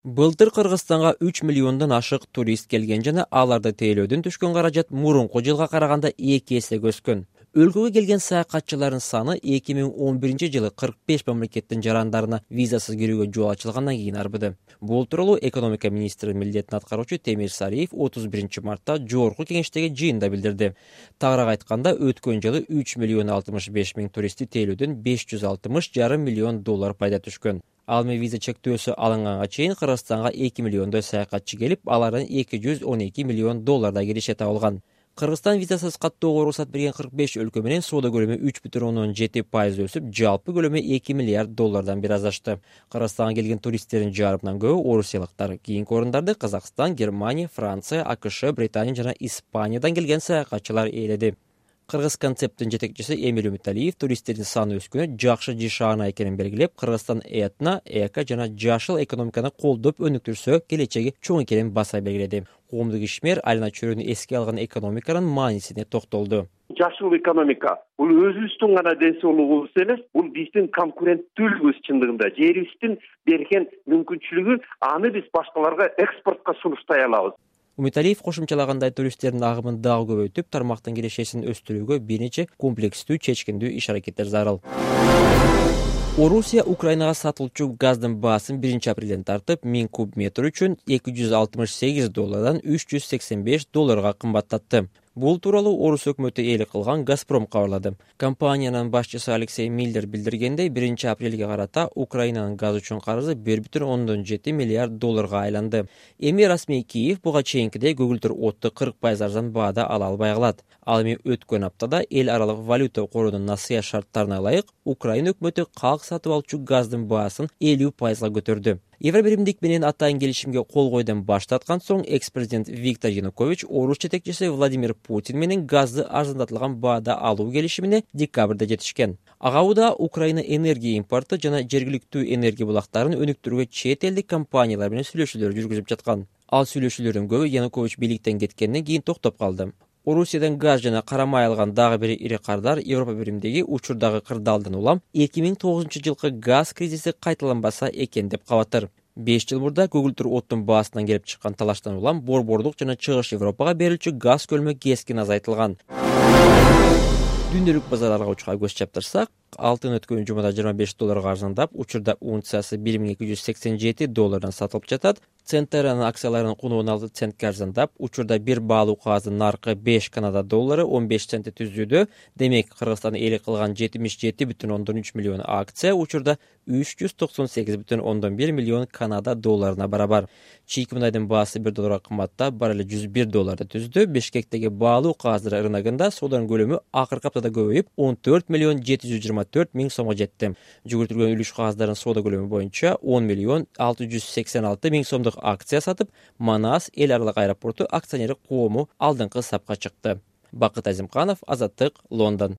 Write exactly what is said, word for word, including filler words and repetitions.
Былтыр Кыргызстанга үч миллиондон ашык турист келген жана аларды тейлөөдөн түшкөн каражат мурунку жылга караганда эки эсеге өскөн. Өлкөгө келген саякатчылардын саны эки миң он биринчи жылы кырк беш мамлекеттин жарандарына визасыз кирүүгө жол ачылгандан кийин арбыды. Бул тууралуу экономика министри милдетин аткаруучу Темир Сариев отуз биринчи мартта жогорку кеңештеги жыйында билдирди. Тагыраак айтканда, өткөн жылы үч миллион алтымыш беш миң туристти тейлөөдөн беш жүз алтымыш жарым миллион доллар пайда түшкөн. Ал эми виза чектөөсү алынганга чейин Кыргызстанга эки миллиондой саякатчы келип, алардан эки жүз он эки миллион доллардай киреше табылган. Кыргызстан визасыз каттоого уруксат берген кырк беш өлкө менен соода көлөмү үч бүтүн ондон жети пайыз өсүп, жалпы көлөмү эки миллиард доллардан бир аз ашты. Кыргызстанга келген туристтердин жарымынан көбү орусиялыктар. Кийинки орундарды Казакстан, Германия, Франция, АКШ, Британия жана Испаниядан келген саякатчылар ээледи. Кыргыз концепттин жетекчиси Эмиль Үмүталиев туристтердин саны өскөнү жакшы жишаана экенин белгилеп, Кыргызстан этно, эко жана жашыл экономиканы колдоп өнүктүрсө, келечеги чоң экенин баса белгиледи. Коомдук ишмер Алина Чөрөнү эске алган экономиканын маанисине токтолду. Жашыл экономика бул өзүбүздүн гана ден соолугубуз эмес, бул биздин конкуренттүүлүгүбүз чындыгында, жерибиздин берген мүмкүнчүлүгү, аны биз башкаларга экспортко сунуштай алабыз. Үмүталиев кошумчалагандай, туристтердин агымын дагы көбөйтүп, тармактын кирешесин өстүрүүгө бир нече комплекстүү, чечкиндүү иш-аракеттер зарыл. Орусия Украинага сатылчу газдын баасын биринчи апрелден тартып, миң куб метр үчүн эки жүз алтымыш сегиз доллардан үч жүз сексен беш долларга кымбаттатты. Бул тууралуу Орус өкмөтү ээлик кылган Газпром кабарлады. Компаниянын башчысы Алексей Миллер билдиргендей, биринчи апрелге карата Украинанын газ үчүн карызы бир бүтүн ондон жети миллиард долларга айланды. Эми расмий Киев буга чейинкидей көгүлтүр отту кырк пайыз арзан баада ала албай калат. Ал эми өткөн аптада эл аралык валюта корунун насыя шарттарына ылайык Украина өкмөтү калк сатып алчу газдын баасын элүү пайызга көтөрдү. Евробиримдик менен атайын келишимге кол койдон баш тарткан соң, экс-президент Виктор Янукович Орус жетекчиси Владимир Путин менен газды арзандатылган баада алуу келишимине декабрда жетишкен. Ага убада Украина энергия импорты жана жергиликтүү энергия булактарын өнүктүрүүгө чет элдик компаниялар менен сүйлөшүүлөр жүргүзүп жаткан. Ал сүйлөшүүлөрдүн көбү Янукович бийликтен кеткенден кийин токтоп калды. Орусиядан газ жана кара май алган дагы бир ири кардар Европа биримдеги учурдагы кырдаалдан улам эки миң тогузунчу жылкы газ кризиси кайталанбаса экен деп кабатыр. беш жыл мурда көгүлтүр оттун баасынан келип чыккан талаштан улам Борбордук жана Чыгыш Европага берилчү газ көлөмү кескин азайтылган. Дүндөлүк базарларга учка көз чаптырсак, алтын өткөн жумада жыйырма беш долларга арзандап, учурда унциясы бир миң эки жүз сексен жети доллардан сатылып жатат. Центеранын акцияларынын куну он алты центке арзандап, учурда бир баалуу кагаздын наркы беш Канада доллары он беш центти түзүүдө. Демек, Кыргызстан ээлик кылган жетимиш жети бүтүн ондон үч миллион акция учурда үч жүз токсон сегиз бүтүн ондон бир миллион Канада долларына барабар. Чийки мунайдын баасы бир долларга кымбаттап, бар эле жүз бир долларды түздү. Бишкектеги баалуу кагаздар рыногунда сооданын көлөмү акыркы аптада көбөйүп, он төрт миллион жети жүз жыйырма төрт миң сомго жетти. Жүгүртүлгөн үлүш кагаздарын соода көлөмү боюнча он миллион алты жүз сексен алты миң сомдук акция сатып, Манас эл аралык аэропорту акционерлик коому алдыңкы сапка чыкты. Бакыт Азимканов, Азаттык, Лондон.